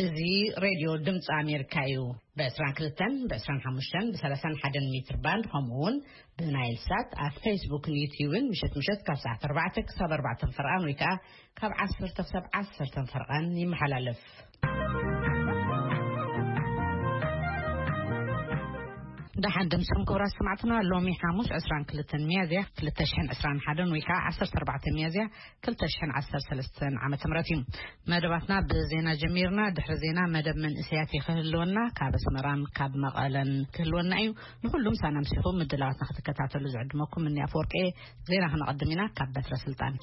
እዚ ሬድዮ ድምፂ ኣሜሪካ እዩ። ብ22፣ ብ25፣ ብ31 ሜትር ባንድ፣ ከምኡ እውን ብናይል ሳት ኣብ ፌስቡክን ዩትዩብን ምሸት ምሸት ካብ ሰዓት 4 ክሳብ 4 ፈርቓን ወይ ከዓ ካብ 10 ክሳብ 10 ፈርቓን ይመሓላለፍ። ደሓን ድምፅም ክቡራት ሰማዕትና፣ ሎሚ ሓሙስ 22 ሚያዝያ 2021 ወይ ከዓ 14 ሚያዝያ 2013 ዓመተ ምህረት እዩ። መደባትና ብዜና ጀሚርና። ድሕሪ ዜና መደብ መንእሰያት ክህልወና፣ ካብ ኣስመራን ካብ መቐለን ክህልወና እዩ። ንኹሉም ሳና ምሲኹም ምድላዋትና ክትከታተሉ ዝዕድመኩም እኒ ኣፈወርቂ። ዜና ክነቐድም ኢና ካብ በትረ ስልጣን።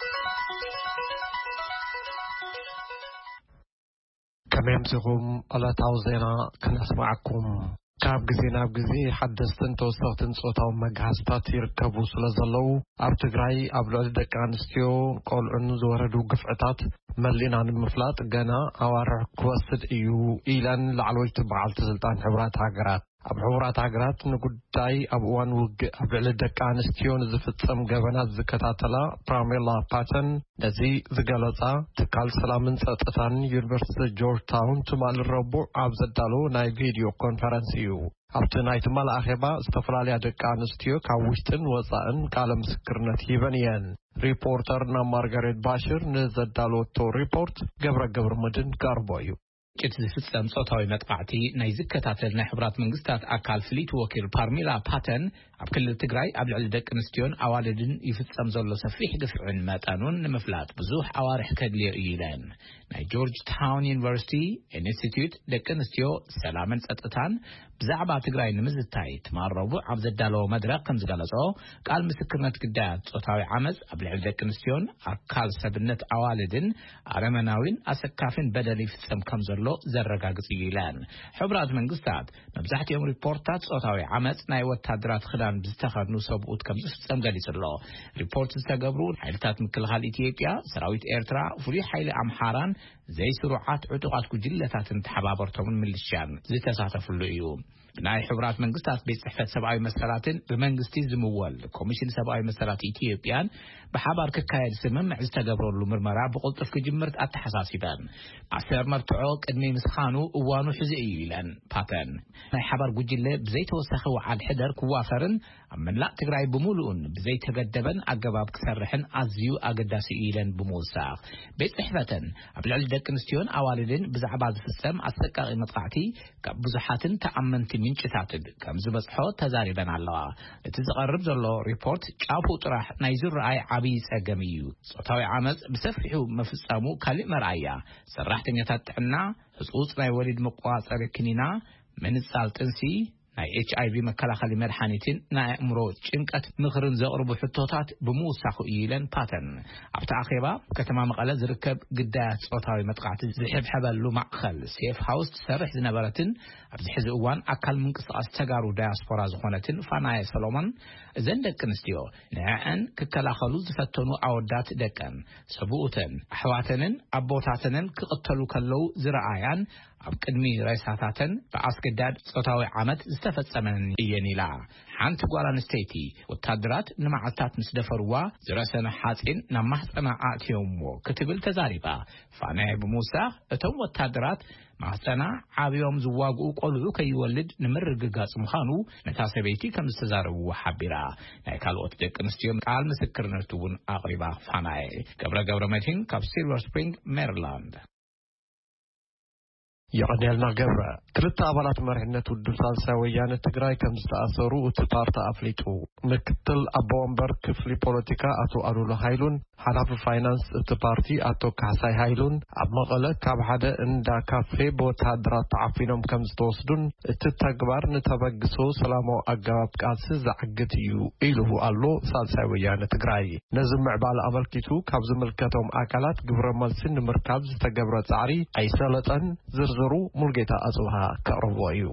ከመይ ኣምሲኹም? ዕለታዊ ዜና ክነስማዓኩም። ካብ ግዜ ናብ ግዜ ሓደስትን ተወሰኽትን ጾታዊ መግሃስታት ይርከቡ ስለ ዘለዉ፣ ኣብ ትግራይ ኣብ ልዕሊ ደቂ ኣንስትዮ ቆልዑን ዝወረዱ ግፍዕታት መሊእና ንምፍላጥ ገና ኣዋርሕ ክወስድ እዩ ኢለን ላዕለወይቲ በዓልቲ ስልጣን ሕቡራት ሃገራት። ኣብ ሕቡራት ሃገራት ንጉዳይ ኣብ እዋን ውግእ ኣብ ልዕሊ ደቂ ኣንስትዮ ንዝፍጸም ገበናት ዝከታተላ ፕራሜላ ፓተን፣ ነዚ ዝገለጻ ትካል ሰላምን ጸጥታን ዩኒቨርሲቲ ጆርጅ ታውን ትማሊ ረቡዕ ኣብ ዘዳለዎ ናይ ቪድዮ ኮንፈረንስ እዩ። ኣብቲ ናይ ትማሊ ኣኼባ ዝተፈላለያ ደቂ ኣንስትዮ ካብ ውሽጥን ወጻእን ቃለ ምስክርነት ሂበን እየን። ሪፖርተርና ማርጋሬት ባሽር ንዘዳለወቶ ሪፖርት ገብረ ገብረ መድን ቀርቦ እዩ። ግጭት ዝፍጸም ጾታዊ መጥቃዕቲ ናይ ዝከታተል ናይ ሕቡራት መንግስታት ኣካል ፍልይቲ ወኪል ፓርሚላ ፓተን፣ ኣብ ክልል ትግራይ ኣብ ልዕሊ ደቂ ኣንስትዮን ኣዋልድን ይፍጸም ዘሎ ሰፊሕ ግፍዕን መጠኑን ንምፍላጥ ብዙሕ ኣዋርሕ ከድልዮ እዩ ኢለን። ናይ ጆርጅ ታውን ዩኒቨርሲቲ ኢንስቲትዩት ደቂ ኣንስትዮ፣ ሰላምን ጸጥታን ብዛዕባ ትግራይ ንምዝታይ ትማል ረቡዕ ኣብ ዘዳለዎ መድረኽ ከም ዝገለጾ፣ ቃል ምስክርነት ግዳያት ጾታዊ ዓመጽ ኣብ ልዕሊ ደቂ ኣንስትዮን ኣካል ሰብነት ኣዋልድን ኣረመናዊን ኣሰካፊን በደል ይፍጸም ከም ዘሎ ዘረጋግጽ እዩ ኢለን። ሕቡራት መንግስታት መብዛሕትኦም ሪፖርትታት ጾታዊ ዓመጽ ናይ ወታደራት ክዳን ብዝተኸድኑ ሰብኡት ከም ዝፍጸም ገሊጹ ኣሎ። ሪፖርት ዝተገብሩ ሓይልታት ምክልኻል ኢትዮጵያ፣ ሰራዊት ኤርትራ፣ ፍሉይ ሓይሊ ኣምሓራን ዘይስሩዓት ዕጡቓት ጉጅለታትን ተሓባበርቶምን ምልሽያን ዝተሳተፍሉ እዩ። ናይ ሕቡራት መንግስታት ቤት ጽሕፈት ሰብኣዊ መሰላትን ብመንግስቲ ዝምወል ኮሚሽን ሰብኣዊ መሰላት ኢትዮጵያን ብሓባር ክካየድ ስምምዕ ዝተገብረሉ ምርመራ ብቕልጡፍ ክጅምር ኣተሓሳሲበን። ኣሰር መርትዖ ቅድሚ ምስኻኑ እዋኑ ሕዚ እዩ ኢለን ፓተን። ናይ ሓባር ጉጅለ ብዘይተወሰኸ ወዓል ሕደር ክዋፈርን ኣብ መላእ ትግራይ ብምሉኡን ብዘይተገደበን ኣገባብ ክሰርሕን ኣዝዩ ኣገዳሲ እዩ ኢለን ብምውሳኽ፣ ቤት ጽሕፈተን ኣብ ልዕሊ ደቂ ኣንስትዮን ኣዋልድን ብዛዕባ ዝፍጸም ኣሰቃቂ መጥቃዕቲ ካብ ብዙሓትን ተኣመንቲ ምንጭታትን ከም ዝበጽሖ ተዛሪበን ኣለዋ። እቲ ዝቐርብ ዘሎ ሪፖርት ጫፉ ጥራሕ ናይ ዝረኣይ ዓብዪ ጸገም እዩ። ጾታዊ ዓመጽ ብሰፊሑ መፍጸሙ ካልእ መርኣያ፣ ሰራሕተኛታት ጥዕና ህጹጽ ናይ ወሊድ መቆጻጸሪ ክኒና፣ ምንጻል ጥንሲ፣ ናይ ኤች ኣይ ቪ መከላኸሊ መድሓኒትን ናይ ኣእምሮ ጭንቀት ምኽርን ዘቕርቡ ሕቶታት ብምውሳኹ እዩ ኢለን ፓተን። ኣብቲ ኣኼባ ከተማ መቐለ ዝርከብ ግዳያት ጾታዊ መጥቃዕቲ ዝሕብሐበሉ ማእኸል ሴፍ ሃውስ ትሰርሕ ዝነበረትን ኣብዚ ሕዚ እዋን ኣካል ምንቅስቃስ ተጋሩ ዳያስፖራ ዝኾነትን ፋናየ ሰሎሞን፣ እዘን ደቂ ኣንስትዮ ንዕዐን ክከላኸሉ ዝፈተኑ ኣወዳት ደቀን፣ ሰብኡተን፣ ኣሕዋተንን ኣቦታተንን ክቕተሉ ከለዉ ዝረኣያን ኣብ ቅድሚ ሬሳታተን ብኣስገዳድ ጾታዊ ዓመት ዝተፈጸመን እየን ኢላ። ሓንቲ ጓል ኣንስተይቲ ወታደራት ንመዓልታት ምስ ደፈርዋ ዝረሰነ ሓጺን ናብ ማህጸና ኣእትዮምዎ ክትብል ተዛሪባ። ፋናየ ብምውሳኽ፣ እቶም ወታደራት ማህጸና ዓብዮም ዝዋግኡ ቆልዑ ከይወልድ ንምርግጋጽ ምዃኑ ነታ ሰበይቲ ከም ዝተዛረብዎ ሓቢራ። ናይ ካልኦት ደቂ ኣንስትዮ ቃል ምስክርነት እውን ኣቕሪባ። ፋናየ ገብረ ገብረ መድህን ካብ ሲልቨር ስፕሪንግ ሜሪላንድ። የቐንየልና ገብረ። ክልተ ኣባላት መሪሕነት ውድብ ሳልሳይ ወያነ ትግራይ ከም ዝተኣሰሩ እቲ ፓርቲ ኣፍሊጡ። ምክትል ኣቦ ወንበር ክፍሊ ፖለቲካ ኣቶ ኣሉላ ሃይሉን ሓላፊ ፋይናንስ እቲ ፓርቲ ኣቶ ካሕሳይ ሃይሉን ኣብ መቐለ ካብ ሓደ እንዳ ካፌ ብወተሃደራት ተዓፊኖም ከም ዝተወስዱን እቲ ተግባር ንተበግሶ ሰላማዊ ኣገባብ ቃልሲ ዘዕግት እዩ ኢሉ ኣሎ ሳልሳይ ወያነ ትግራይ። ነዚ ምዕባለ ኣመልኪቱ ካብ ዝምልከቶም ኣካላት ግብረ መልሲ ንምርካብ ዝተገብረ ጻዕሪ ኣይሰለጠን። ዝርዝሩ ሙልጌታ ኣጽብሃ ከቕርቦ እዩ።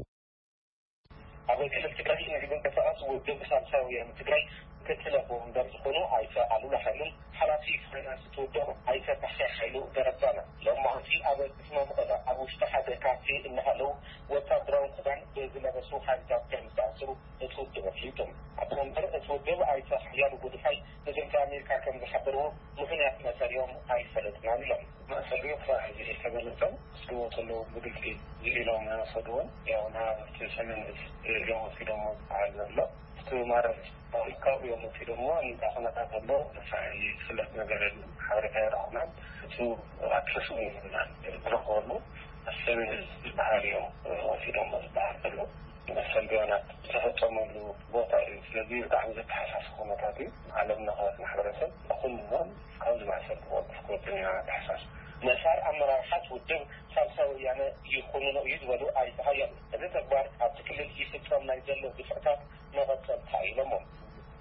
ኣብ ክልል ትግራይ ንዝንቀሳቐስ ውድብ ሳልሳይ ወያነ ትግራይ ምክትል ኣቦ ወንበር ዝኾኑ ኣይተ ኣሉላ ሃይሉን ሓላፊ ፋይናንስ እቲ ውድብ ኣይተ ካሕሳይ ሃይሉ ደረባነ ሎም መዓልቲ ኣብ ከተማ መቐለ ኣብ ውሽጢ ሓደ ካፌ እናሃለዉ ወታደራዊ ክዳን ብዝለበሱ ሓይልታት ከም ዝተኣሰሩ እቲ ውድብ ኣፍሊጡ። ኣቦ ወንበር እቲ ውድብ ኣይተ ሓያሉ ጎድፋይ ንድምፂ ኣሜሪካ ከም ዝሓበርዎ ምኽንያት መእሰሪኦም ኣይፈለጥናን ኢሎም። ሰልዮ ክሳብ ሕዚ ዝተገለጸ ዝስልዎ ዘለዉ ብግልጺ ዝኢሎም ኣይወሰድዎን። ያው ናብቲ ሰሜን እዝ እዮም ወሲዶሞ ዝበሃል ዘሎ። እቲ ማለት ካብኡ እዮም ወሲዶሞ። እንታይ ኩነታት ዘሎ ክሳብ ሕዚ ዝፍለጥ ነገር የለን። ሓበሬታ ኣይረኸብናን። እሱ ኣክሰስ እውን የብልናን። ዝረኸበሉ ሰሜን እዝ ዝበሃል እዮም ወሲዶሞ ዝበሃል ዘሎ። መሰል ቢያናት ዝተፈጸመሉ ቦታ እዩ። ስለዚ ብጣዕሚ ዘተሓሳስ ኩነታት እዩ። ዓለም ለኸ ማሕበረሰብ ኩሎም ካብዚ ማእሰርቲ ክወቅፍ ክወጥን ኢና ንተሓሳስ። መሳር ኣመራርሓት ውድብ ሳልሳይ ወያነ ይኹንኖ እዩ ዝበሉ ኣይተ ሃይለ፣ እዚ ተግባር ኣብቲ ክልል ይፍጸም ናይ ዘሎ ግፍዕታት መቐጸልታ እዩ ኢሎሞ።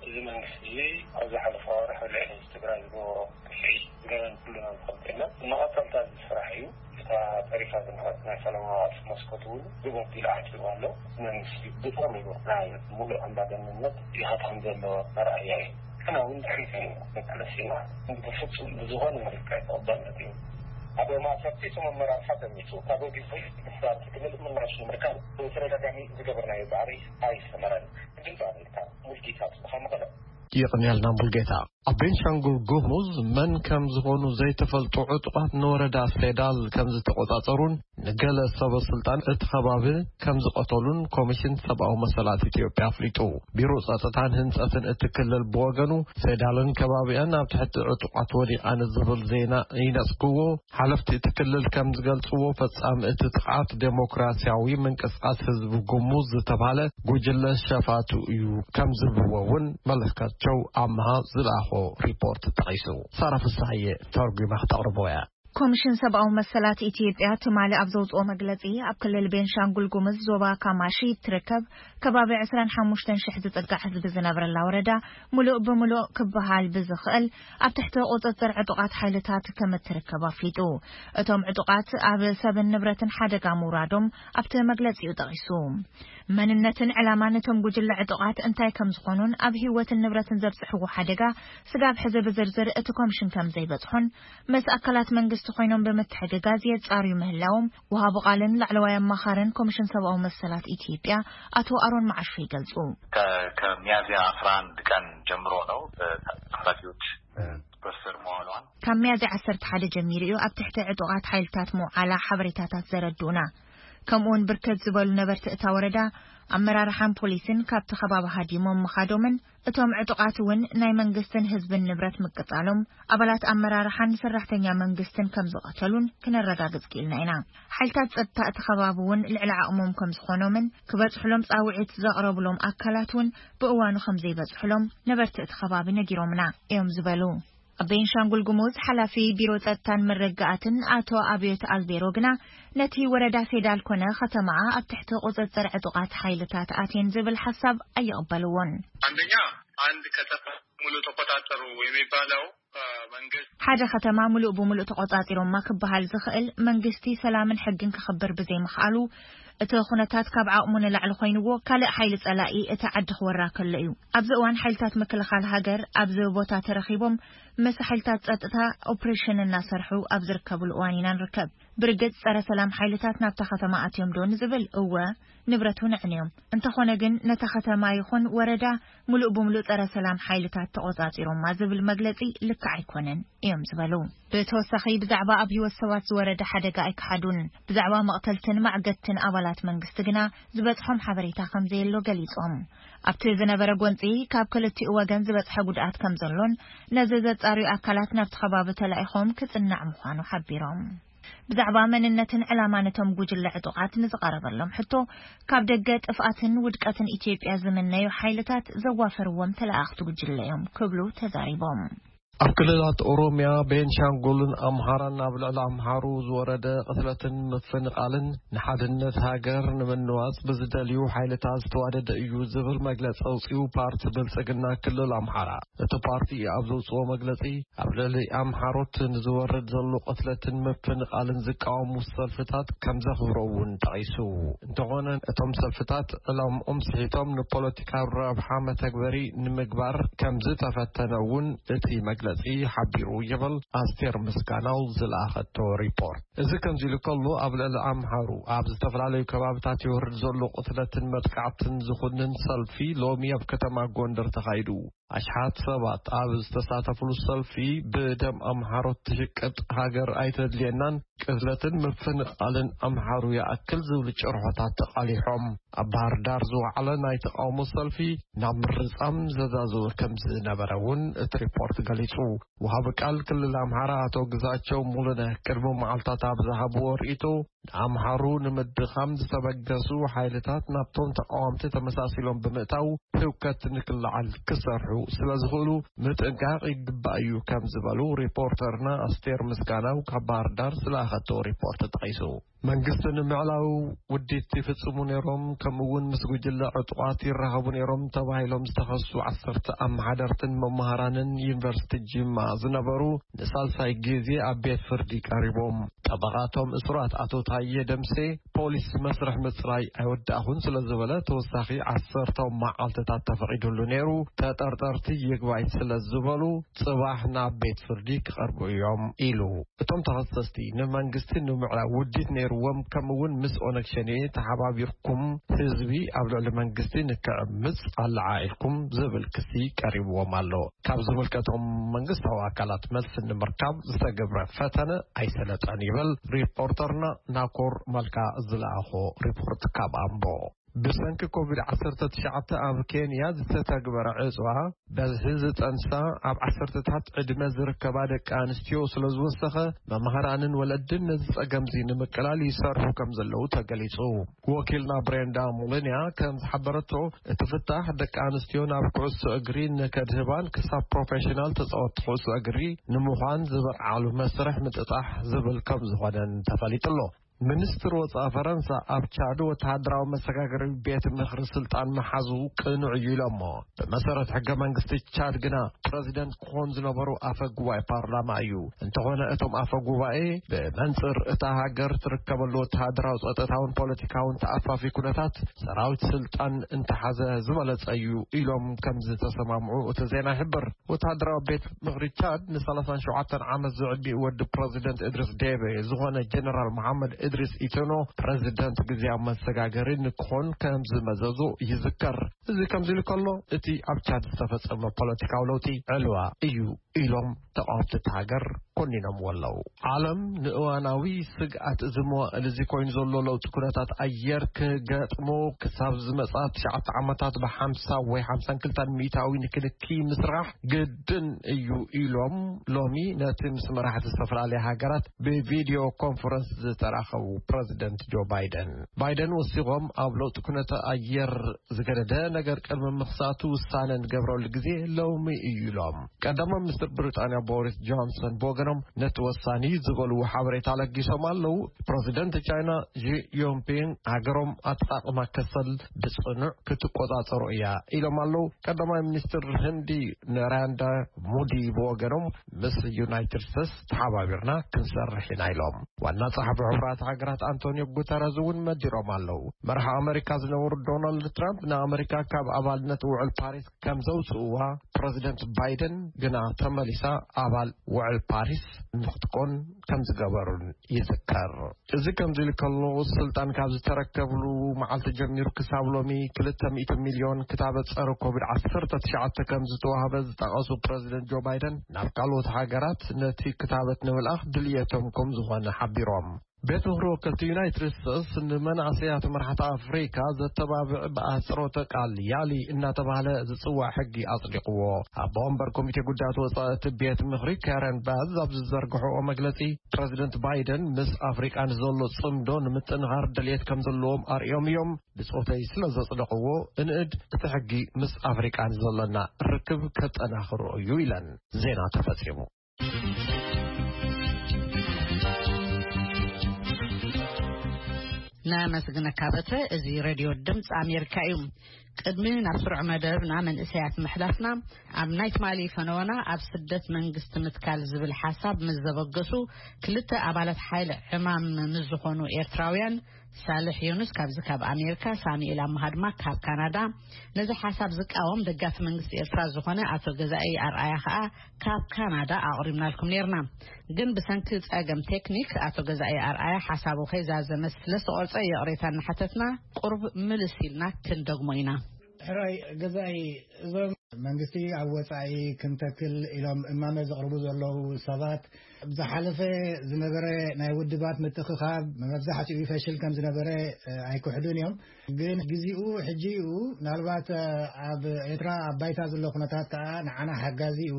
እዚ መንግስቲ እዚ ኣብ ዝሓለፈ ወርሒ ልዕሊ ህዝቢ ትግራይ ዝገበሮ ግፍዒ ገበን ኩልና ንፈልጦ ኢና። መቐጸልታ እዚ ስራሕ እዩ። እታ ተሪፋ ዝነበረት ናይ ሰላማዊ ቃልሲ መስኮት እውን ግበብ ኢሉ ዓፂዎ ኣሎ። መንግስቲ ብጥቕሚ እዩ ናይ ሙሉእ ኣምባገነንነት ይኸተም ዘሎ መርኣያ እዩ። ንሕና እውን ድሕሪት ኢና መቃለሲና። ብፍፁም ብዝኾነ መልክዕ ተቐባልነት እዩ። ኣብ ማእሰርቲ እቶም ኣመራርሓ ተሚቱ ካብ ግዜ ምሕዳር ክልል ምላሽ ንምርካብ ብተደጋጋሚ ዝገበርናዮ ፃዕሪ ኣይሰመረን። ድምፂ ኣሜሪካ፣ ሙልጌታ ጽብሃ፣ መቐለ። የቕንየልና ሙልጌታ። ኣብ ቤንሻንጉል ጉሙዝ መን ከም ዝኾኑ ዘይተፈልጡ ዕጡቓት ንወረዳ ሴዳል ከም ዝተቖጻጸሩን ንገለ ሰበ ስልጣን እቲ ከባቢ ከም ዝቐተሉን ኮሚሽን ሰብኣዊ መሰላት ኢትዮጵያ ኣፍሊጡ። ቢሮ ጸጥታን ህንጸትን እቲ ክልል ብወገኑ ሴዳልን ከባቢኣን ኣብ ትሕቲ ዕጡቓት ወዲቓ ንዝብል ዜና ይነጽግዎ። ሓለፍቲ እቲ ክልል ከም ዝገልጽዎ፣ ፈጻሚ እቲ ጥቕዓት ዴሞክራሲያዊ ምንቅስቃስ ህዝቢ ጉሙዝ ዝተባህለ ጉጅለ ሸፋቱ እዩ ከም ዝብልዎ እውን መለስካቸው ኣምሃ ዝለኣኾ ሪፖርት ጠቒሱ። ሳራ ፍሳሐየ ተርጉማ ክተቕርቦ እያ። ኮሚሽን ሰብኣዊ መሰላት ኢትዮጵያ ትማሊ ኣብ ዘውፅኦ መግለፂ፣ ኣብ ክልል ቤንሻንጉል ጉምዝ ዞባ ካማሺ እትርከብ ከባቢ ዕስራን ሓሙሽተን ሽሕ ዝፅጋዕ ህዝቢ ዝነብረላ ወረዳ፣ ሙሉእ ብሙሉእ ክበሃል ብዝኽእል ኣብ ትሕቲ ቁፅፅር ዕጡቓት ሓይልታት ከም እትርከብ ኣፍሊጡ። እቶም ዕጡቓት ኣብ ሰብን ንብረትን ሓደጋ ምውራዶም ኣብቲ መግለፂኡ ጠቒሱ። መንነትን ዕላማን እቶም ጉጅለ ዕጡቓት እንታይ ከም ዝኾኑን ኣብ ህይወትን ንብረትን ዘብፅሕዎ ሓደጋ ስጋብ ሕዚ ብዝርዝር እቲ ኮሚሽን ከም ዘይበፅሖን፣ ምስ ኣካላት መንግስቲ ኮይኖም ብምትሕግጋዝ የፃርዩ ምህላዎም፣ ወሃቢ ቃልን ላዕለዋይ ኣማኻርን ኮሚሽን ሰብኣዊ መሰላት ኢትዮጵያ ኣቶ ኣሮን መዓሾ ይገልጹ። ከ-፣ ከሚያዝያ አስራ አንድ ቀን ጀምሮ ነው በታጣቂዎች ቁጥጥር ስር መዋሏን። ካብ ሚያዝያ ዓሰርተ ሓደ ጀሚሩ እዩ ኣብ ትሕቲ ዕጡቓት ሓይልታት ምውዓላ ሓበሬታታት ዘረድኡና። ከምኡውን ብርክት ዝበሉ ነበርቲ እታ ወረዳ፣ ኣመራርሓን ፖሊስን ካብቲ ከባቢ ሃዲሞም ምኻዶምን፣ እቶም ዕጡቓት እውን ናይ መንግስትን ህዝብን ንብረት ምቅጻሎም፣ ኣባላት ኣመራርሓን ሰራሕተኛ መንግስትን ከም ዝቐተሉን ክነረጋግጽ ክኢልና ኢና። ሓይልታት ጸጥታ እቲ ከባቢ እውን ልዕሊ ዓቕሞም ከም ዝኾኖምን ክበጽሕሎም ጻውዒት ዘቕረብሎም ኣካላት እውን ብእዋኑ ከም ዘይበጽሕሎም ነበርቲ እቲ ከባቢ ነጊሮምና እዮም ዝበሉ። ኣብ ቤንሻንጉል ጉሙዝ ሓላፊ ቢሮ ጸጥታን መረጋኣትን ኣቶ ኣብዮት ኣልቤሮ ግና፣ ነቲ ወረዳ ፌዳል ኮነ ከተማኣ ኣብ ትሕቲ ቁጽጽር ዕጡቓት ሓይልታት ኣትየን ዝብል ሓሳብ ኣይቕበልዎን። አንደኛ አንድ ከተማ ሙሉ ተቆጣጠሩ የሚባለው፣ እ፣ መንግስት ሓደ ከተማ ሙሉእ ብሙሉእ ተቆጻጺሮማ ክበሃል ዝኽእል፣ መንግስቲ ሰላምን ሕግን ክኽብር ብዘይምኽኣሉ፣ እቲ ኩነታት ካብ ዓቕሙ ንላዕሊ ኮይንዎ፣ ካልእ ሓይሊ ጸላኢ እቲ ዓዲ ክወራ ከሎ እዩ። ኣብዚ እዋን ሓይልታት ምክልኻል ሃገር ኣብዚ ቦታ ተረኺቦም ምስ ሓይልታት ጸጥታ ኦፕሬሽን እናሰርሑ ኣብ ዝርከብሉ እዋን ኢና ንርከብ። ብርግጽ ጸረ ሰላም ሓይልታት ናብታ ከተማ ኣትዮም ዶ ንዝብል፣ እወ፣ ንብረት እውን ኣዕንዮም። እንተኾነ ግን ነታ ከተማ ይኹን ወረዳ ሙሉእ ብሙሉእ ጸረ ሰላም ሓይልታት ተቆጻጺሮማ ዝብል መግለጺ ልክዕ ኣይኮነን እዮም ዝበሉ። ብተወሳኺ ብዛዕባ ኣብ ህይወት ሰባት ዝወረደ ሓደጋ ኣይከሓዱን። ብዛዕባ መቕተልትን ማዕገትን ኣባላት መንግስቲ ግና ዝበጽሖም ሓበሬታ ከም ዘየሎ ገሊጾም። ኣብቲ ዝነበረ ጎንጺ ካብ ክልቲኡ ወገን ዝበጽሐ ጉድኣት ከም ዘሎን ነዚ ዘጻርዩ ኣካላት ናብቲ ከባቢ ተላኢኾም ክጽናዕ ምዃኑ ሓቢሮም። ብዛዕባ መንነትን ዕላማን እቶም ጉጅለ ዕጡቓት ንዝቐረበሎም ሕቶ፣ ካብ ደገ ጥፍኣትን ውድቀትን ኢትዮጵያ ዝምነዩ ሓይልታት ዘዋፈርዎም ተለኣኽቲ ጉጅለ እዮም ክብሉ ተዛሪቦም። ኣብ ክልላት ኦሮሚያ፣ ቤንሻንጉልን ኣምሃራን ኣብ ልዕሊ ኣምሃሩ ዝወረደ ቅትለትን ምፍንቓልን ንሓድነት ሃገር ንምንዋጽ ብዝደልዩ ሓይልታት ዝተዋደደ እዩ ዝብል መግለጺ ኣውጺኡ ፓርቲ ብልጽግና ክልል ኣምሓራ። እቲ ፓርቲ ኣብ ዘውጽኦ መግለጺ፣ ኣብ ልዕሊ ኣምሓሮት ንዝወርድ ዘሎ ቅትለትን ምፍንቓልን ዝቃወሙ ሰልፍታት ከም ዘኽብሮ እውን ጠቒሱ። እንተኾነ፣ እቶም ሰልፍታት ዕላምኦም ስሒቶም ንፖለቲካዊ ረብሓ መተግበሪ ንምግባር ከም ዝተፈተነ እውን እቲ መግለጺ ሓቢሩ ይብል ኣስቴር ምስጋናው ዝለኣኸቶ ሪፖርት። እዚ ከምዚ ኢሉ ከሎ፣ ኣብ ልዕሊ ኣምሓሩ ኣብ ዝተፈላለዩ ከባብታት ይወርድ ዘሎ ቅትለትን መጥቃዕትን ዝኹንን ሰልፊ ሎሚ ኣብ ከተማ ጎንደር ተኻይዱ። ኣሽሓት ሰባት ኣብ ዝተሳተፍሉ ሰልፊ፣ ብደም ኣምሓሮት ትሽቅጥ ሃገር ኣይተድልየናን፣ ቅትለትን ምፍንቓልን ኣምሓሩ ይኣክል ዝብሉ ጭርሖታት ተቓሊሖም። ኣብ ባህር ዳር ዝወዓለ ናይ ተቓውሞ ሰልፊ ናብ ምርጻም ዘዛዘወ ከም ዝነበረ እውን እቲ ሪፖርት ገሊጹ። ወሃቢ ቃል ክልል ኣምሓራ ኣቶ ግዛቸው ሙሉነህ ቅድሚ መዓልታት ኣብ ዝሃብዎ ርእይቶ፣ ንኣምሓሩ ንምድኻም ዝተበገሱ ሓይልታት ናብቶም ተቃወምቲ ተመሳሲሎም ብምእታው ህውከት ንክለዓል ክሰርሑ ስለ ዝኽእሉ ምጥንቃቕ ይግባእ እዩ ከም ዝበሉ ሪፖርተርና ኣስቴር ምስጋናው ካብ ባህር ዳር ዝለኣኸቶ ሪፖርት ጠቒሱ። መንግስቲ ንምዕላው ውዲት ይፍጽሙ ነይሮም፣ ከምኡ እውን ምስ ጉጅለ ዕጡቓት ይራኸቡ ነይሮም ተባሂሎም ዝተኸሱ ዓሰርተ ኣመሓደርትን መማህራንን ዩኒቨርሲቲ ጅማ ዝነበሩ ንሳልሳይ ግዜ ኣብ ቤት ፍርዲ ቀሪቦም። ጠበቓቶም እሱራት ኣቶ ታየ ደምሴ፣ ፖሊስ መስርሕ ምጽራይ ኣይወዳእኹን ስለ ዝበለ ተወሳኺ ዓሰርተ መዓልትታት ተፈቒዱሉ ነይሩ። ተጠርጠርቲ ይግባይ ስለ ዝበሉ ጽባሕ ናብ ቤት ፍርዲ ክቐርቡ እዮም ኢሉ። እቶም ተኸሰስቲ ንመንግስቲ ንምዕራብ ውዲት ነይርዎም፣ ከምኡ እውን ምስ ኦነግ ሸኔ ተሓባቢርኩም ህዝቢ ኣብ ልዕሊ መንግስቲ ንክዕምጽ ኣለዓዒልኩም ዝብል ክሲ ቀሪብዎም ኣሎ። ካብ ዝምልከቶም መንግስታዊ ኣካላት መልሲ ንምርካብ ዝተገብረ ፈተነ ኣይሰለጠን ይብል ሪፖርተርና ናኮር መልካ ዝለኣኾ ሪፖርት ካብ ኣምቦ። ብሰንኪ ኮቪድ ዓሰርተ ትሽዓተ ኣብ ኬንያ ዝተተግበረ ዕፅዋ በዝሒ ዝጠንሳ ኣብ ዓሰርተታት ዕድመ ዝርከባ ደቂ ኣንስትዮ ስለ ዝወሰኸ፣ መምሃራንን ወለድን ነዚ ጸገምዚ ንምቅላል ይሰርሑ ከም ዘለዉ ተገሊጹ። ወኪልና ብሬንዳ ሙሉንያ ከም ዝሓበረቶ፣ እቲ ፍታሕ ደቂ ኣንስትዮ ናብ ኩዕሶ እግሪ ንከድህባን ክሳብ ፕሮፌሽናል ተጻወቲ ኩዕሶ እግሪ ንምዃን ዝበቕዓሉ መስርሕ ምጥጣሕ ዝብል ከም ዝኾነን ተፈሊጡ ኣሎ። ሚኒስትር ወጻኢ ፈረንሳ ኣብ ቻድ ወተሃደራዊ መሰጋገሪ ቤት ምኽሪ ስልጣን መሓዙ ቅኑዕ እዩ ኢሎሞ። ብመሰረት ሕገ መንግስቲ ቻድ ግና ፕረዚደንት ክኾን ዝነበሩ ኣፈ ጉባኤ ፓርላማ እዩ። እንተኾነ እቶም ኣፈ ጉባኤ ብመንጽር እታ ሃገር ትርከበሉ ወተሃደራዊ፣ ጸጥታውን ፖለቲካውን ተኣፋፊ ኩነታት ሰራዊት ስልጣን እንተሓዘ ዝበለጸ እዩ ኢሎም ከም ዝተሰማምዑ እቲ ዜና ይሕብር። ወተሃደራዊ ቤት ምኽሪ ቻድ ን ሰላሳን ሸውዓተን ዓመት ዝዕድሚኡ ወዲ ፕረዚደንት እድሪስ ዴቤ ዝኾነ ጀነራል መሓመድ እድሪስ ኢትኖ ፕረዚደንት ግዜያዊ መሰጋገሪ ንክኾን ከም ዝመዘዙ ይዝከር። እዚ ከምዚ ኢሉ ከሎ፣ እቲ ኣብ ቻድ ዝተፈጸመ ፖለቲካዊ ለውጢ ዕልዋ እዩ ኢሎም ተቓወምቲ እቲ ሃገር ኮኒኖምዎ ኣለዉ። ዓለም ንእዋናዊ ስግኣት እዚ መዋእል እዚ ኮይኑ ዘሎ ለውጢ ኩነታት ኣየር ክገጥሞ ክሳብ ዝመጽኣ ትሽዓተ ዓመታት ብሓምሳ ወይ ሓምሳን ክልተን ሚእታዊ ንክንኪ ምስራሕ ግድን እዩ ኢሎም ሎሚ ነቲ ምስ መራሕቲ ዝተፈላለያ ሃገራት ብቪድዮ ኮንፈረንስ ዝተራኸቡ ፕረዚደንት ጆ ባይደን። ባይደን ወሲኾም ኣብ ለውጢ ኩነተ ኣየር ዝገደደ ነገር ቅድሚ ምኽሳቱ ውሳነ ንገብረሉ ግዜ ሎሚ እዩ ኢሎም። ቀዳማይ ሚኒስትር ብሪጣንያ ቦሪስ ጆንሰን ብወገኖም ነቲ ወሳኒ ዝበልዎ ሓበሬታ ለጊሶም ኣለዉ። ፕረዚደንት ቻይና ዢ ጂንፒንግ ሃገሮም ኣጠቓቕማ ከሰል ብጽኑዕ ክትቆጻጸሮ እያ ኢሎም ኣለዉ። ቀዳማይ ሚኒስትር ህንዲ ናራንዳ ሙዲ ብወገኖም ምስ ዩናይትድ ስቴትስ ተሓባቢርና ክንሰርሕ ኢና ኢሎም። ዋና ጸሓፊ ሕቡራት ሃገራት ኣንቶኒዮ ጉተረዝ እውን መዲሮም ኣለዉ። መራሒ ኣመሪካ ዝነበሩ ዶናልድ ትራምፕ ንኣመሪካ ካብ ኣባልነት ውዕል ፓሪስ ከም ዘውፅእዋ ፕረዚደንት ባይደን ግና ተመሊሳ ኣባል ውዕል ፓሪስ ንክትኮን ከም ዝገበሩን ይዝከር። እዚ ከምዚ ኢሉ ከሎ፣ ስልጣን ካብ ዝተረከብሉ መዓልቲ ጀሚሩ ክሳብ ሎሚ ክልተ ሚእቲ ሚልዮን ክታበት ጸረ ኮቪድ ዓሰርተ ትሽዓተ ከም ዝተዋህበ ዝጠቐሱ ፕረዚደንት ጆ ባይደን፣ ናብ ካልኦት ሃገራት ነቲ ክታበት ንምልኣኽ ድልየቶም ከም ዝኾነ ሓቢሮም። ቤት ምኽሪ ወከልቲ ዩናይትድ ስቴትስ ንመናእሰያት መራሕቲ ኣፍሪካ ዘተባብዕ ብኣህጽሮተ ቃል ያሊ እናተባህለ ዝጽዋዕ ሕጊ ኣጽዲቕዎ። ኣቦ ወንበር ኮሚቴ ጉዳያት ወጻኢ እቲ ቤት ምኽሪ ካረን ባዝ ኣብ ዝዘርግሕኦ መግለጺ፣ ፕረዚደንት ባይደን ምስ ኣፍሪቃ ንዘሎ ጽምዶ ንምጥንኻር ድልየት ከም ዘለዎም ኣርእዮም እዮም። ብጾተይ ስለ ዘጽደቕዎ፣ እንእድ እቲ ሕጊ ምስ ኣፍሪቃ ንዘሎና ርክብ ከጠናኽሮ እዩ ኢለን። ዜና ተፈጺሙ። ነመስግነካ በትረ። እዚ ሬድዮ ድምፂ ኣሜሪካ እዩ። ቅድሚ ናብ ስሩዕ መደብና መንእሰያት ምሕላፍና፣ ኣብ ናይ ትማሊ ፈነወና ኣብ ስደት መንግስቲ ምትካል ዝብል ሓሳብ ምስ ዘበገሱ ክልተ ኣባላት ሓይሊ ዕማም ምስ ዝኾኑ ኤርትራውያን፣ ሳልሕ ዮኑስ ካብዚ ካብ ኣሜሪካ፣ ሳሙኤል ኣምሃ ድማ ካብ ካናዳ፣ ነዚ ሓሳብ ዝቃወም ደጋፊ መንግስቲ ኤርትራ ዝኾነ ኣቶ ገዛኢ ኣርኣያ ከኣ ካብ ካናዳ ኣቕሪብናልኩም ኔርና። ግን ብሰንኪ ጸገም ቴክኒክ ኣቶ ገዛኢ ኣርኣያ ሓሳቡ ከይዛዘመ ስለ ዝተቖርጸ ይቕሬታ እናሓተትና ቁሩብ ምልስ ኢልና ክንደግሞ ኢና። ሕራይ ገዛኢ፣ እዞም መንግስቲ ኣብ ወጻኢ ክንተክል ኢሎም እማመ ዘቕርቡ ዘለዉ ሰባት፣ ዝሓለፈ ዝነበረ ናይ ውድባት ምትእኽኻብ መብዛሕትኡ ፈሽል ከም ዝነበረ ኣይክሕዱን እዮም። ግን ግዜኡ ሕጂ እዩ። ምናልባት ኣብ ኤርትራ ኣብ ባይታ ዘሎ ኩነታት ከኣ ንዓና ሓጋዚ እዩ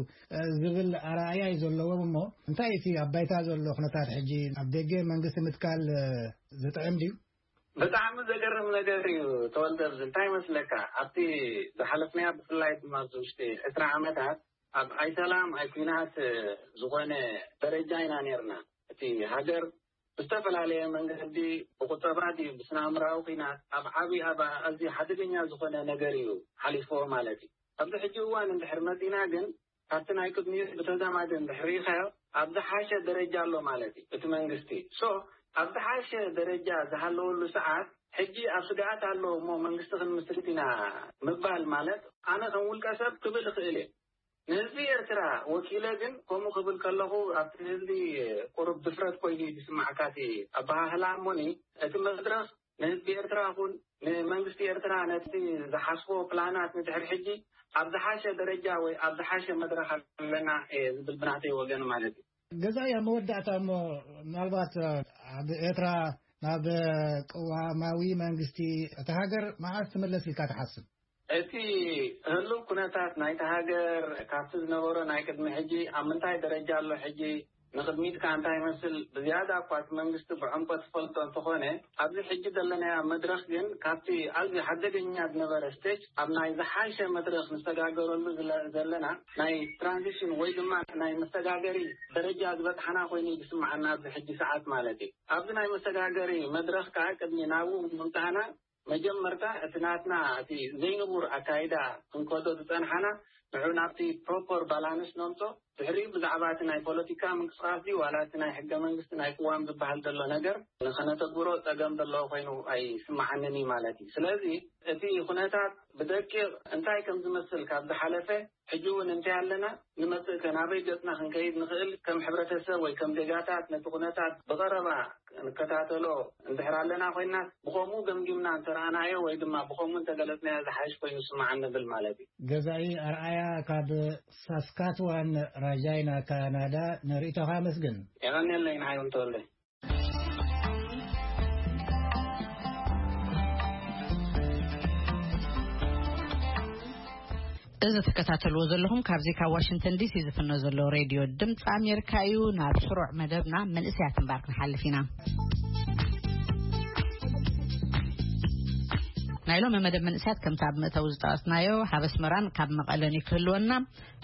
ዝብል ኣረኣእያ እዩ ዘለዎም። እሞ እንታይ እቲ ኣብ ባይታ ዘሎ ኩነታት ሕጂ? ኣብ ደገ መንግስቲ ምትካል ዝጥዕም ድዩ? ብጣዕሚ ዘገርም ነገር እዩ ተወልደ። ኣብዚ እንታይ ይመስለካ፣ ኣብቲ ዝሓለፍናያ ብፍላይ ድማ ኣብዚ ውሽጢ ዕስራ ዓመታት ኣብ ኣይሰላም ኣይኩናት ዝኾነ ደረጃ ኢና ነርና። እቲ ሃገር ብዝተፈላለየ መንገዲ፣ ብቁጠባ ድዩ ብስነ ኣእምራዊ ኩናት ኣብ ዓቢ ኣብ ኣዝዩ ሓደገኛ ዝኾነ ነገር እዩ ሓሊፍዎ ማለት እዩ። ኣብዚ ሕጂ እዋን እንድሕር መጺና ግን ካብቲ ናይ ቅድሚኡ ብተዛማዲ እንድሕር ርኢኻዮ ኣብ ዝሓሸ ደረጃ ኣሎ ማለት እዩ እቲ መንግስቲ። ሶ ኣብ ዝሓሸ ደረጃ ዝሃለወሉ ሰዓት ሕጂ ኣብ ስግኣት ኣሎ እሞ መንግስቲ ክንምስርት ኢና ምባል ማለት ኣነ ከም ውልቀ ሰብ ክብል እኽእል እየ። ንህዝቢ ኤርትራ ወኪለ ግን ከምኡ ክብል ከለኹ ኣብቲ ህዝቢ ቁሩብ ድፍረት ኮይኑ እዩ ዝስማዕካ እቲ ኣበሃህላ። እሞኒ እቲ መድረኽ ንህዝቢ ኤርትራ ይኹን ንመንግስቲ ኤርትራ ነቲ ዝሓስቦ ፕላናት ንድሕር ሕጂ ኣብ ዝሓሸ ደረጃ ወይ ኣብ ዝሓሸ መድረኽ ኣለና እየ ዝብል ብናተይ ወገን ማለት እዩ። ገዛኢ፣ ኣብ መወዳእታ እሞ ምናልባት ኣብ ኤርትራ ናብ ቅዋማዊ መንግስቲ እታ ሃገር መዓስ ትምለስ ኢልካ ትሓስብ? እቲ ህሉው ኩነታት ናይቲ ሃገር ካብቲ ዝነበሮ ናይ ቅድሚ ሕጂ ኣብ ምንታይ ደረጃ ኣሎ፣ ሕጂ ንቕድሚት ከኣ እንታይ ይመስል፣ ብዝያዳ እኳ እቲ መንግስቲ ብዕምቆት ዝፈልጦ እንተኾነ፣ ኣብዚ ሕጂ ዘለናዮ መድረኽ ግን ካብቲ ኣዝዩ ሓደገኛ ዝነበረ ስቴጅ ኣብ ናይ ዝሓሸ መድረኽ ንሰጋገረሉ ዝለ-፣ ዘለና ናይ ትራንዚሽን ወይ ድማ ናይ መሰጋገሪ ደረጃ ዝበጽሓና ኮይኑ እዩ ዝስምዓና ኣብዚ ሕጂ ሰዓት ማለት እዩ። ኣብዚ ናይ መሰጋገሪ መድረኽ ከኣ ቅድሚ ናብኡ ምምጻእና መጀመርታ እቲ ናትና እቲ ዘይንቡር ኣካይዳ ክንከዶ ዝጸንሓና ንዑ ናብቲ ፕሮፐር ባላንስ ነምጾ። ድሕሪኡ ብዛዕባ እቲ ናይ ፖለቲካ ምንቅስቃስ ድዩ ዋላ እቲ ናይ ሕገ መንግስቲ ናይ ቅዋም ዝበሃል ዘሎ ነገር ንኸነተግብሮ ጸገም ዘለዎ ኮይኑ ኣይስምዓንን እዩ ማለት እዩ። ስለዚ እቲ ኩነታት ብደቂቕ እንታይ ከም ዝመስል ካብ ዝሓለፈ ሕጂ እውን እንታይ ኣለና ንመጽእ ከ ናበይ ገጽና ክንከይድ ንኽእል ከም ሕብረተሰብ ወይ ከም ዜጋታት ነቲ ኩነታት ብቐረባ ንከታተሎ እንድሕር ኣለና ኮይና ብኸምኡ ገምጊምና እንተረኣናዮ ወይ ድማ ብኸምኡ እንተገለጽናዮ ዝሓይሽ ኮይኑ ይስምዓኒ ንብል ማለት እዩ። ገዛኢ ኣርኣያ ካብ ሳስካትዋን ራጃይና ካናዳ ንርእይቶኻ ኣመስግን። የቐንየለይ ንዓይ እውን ተወልደ። እዚ ትከታተልዎ ዘለኹም ካብዚ ካብ ዋሽንግተን ዲሲ ዝፍኖ ዘሎ ሬድዮ ድምፂ ኣሜሪካ እዩ። ናብ ስሩዕ መደብና መንእሰያት እምባር ክንሓልፍ ኢና። ናይ ሎሚ መደብ መንእሰያት ከምቲ ኣብ መእተዊ ዝጠቐስናዮ ካብ ኣስመራን ካብ መቐለን እዩ ክህልወና።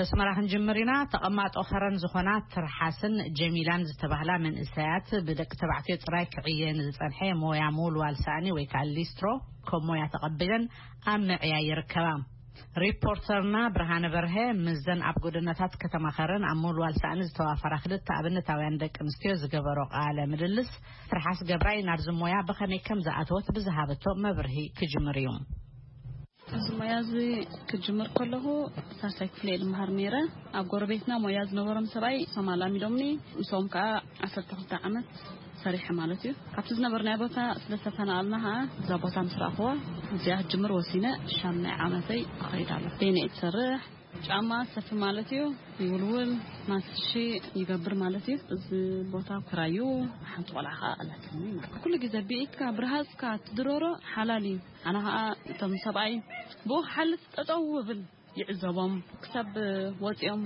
ኣስመራ ክንጅምር ኢና። ተቐማጦ ከረን ዝኾና ትርሓስን ጀሚላን ዝተባህላ መንእሰያት ብደቂ ተባዕትዮ ጥራይ ክዕየን ዝጸንሐ ሞያ ምውልዋል ሳእኒ ወይ ከዓ ሊስትሮ ከም ሞያ ተቐቢለን ኣብ ምዕያይ ይርከባ። ሪፖርተርና ብርሃነ በርሀ ምስዘን ኣብ ጎደናታት ከተማ ከረን ኣብ ምውልዋል ሳእኒ ዝተዋፈራ ክልተ ኣብነታውያን ደቂ ኣንስትዮ ዝገበሮ ቃለ ምልልስ ትርሓስ ገብራይ ናብዚ ሞያ ብኸመይ ከም ዝኣተወት ብዝሃበቶ መብርሂ ክጅምር እዩ። እዚ ሞያ እዚ ክጅምር ከለኹ ሳልሳይ ክፍሊ እየ ዝመሃር ነይረ። ኣብ ጎረቤትና ሞያ ዝነበሮም ሰብኣይ ሶማል ኣሚዶምኒ፣ ምስኦም ከዓ ዓሰርተ ክልተ ዓመት ሰሪሐ ማለት እዩ። ካብቲ ዝነበርናዮ ቦታ ስለ ዝተፈናቐልና ከዓ እዛ ቦታ ምስ ረኣኽዋ እዚኣ ክጅምር ወሲነ ሻምናይ ዓመተይ እኸይድ ኣሎ። በይነ እየ ዝሰርሕ። ጫማ ሰፊ ማለት እዩ። ይውልውል፣ ማንስሺ ይገብር ማለት እዩ። እዚ ቦታ ክራዩ ሓንቲ ቆልዓ ከዓ ኣላትኒ ማለት እዩ። ኩሉ ግዜ ብኢድካ ብርሃፅካ ትድረሮ ሓላል እዩ። ኣነ ከዓ እቶም ሰብኣይ ብኡ ክሓልፍ ጠጠው እብል ይዕዘቦም ክሳብ ወፂኦም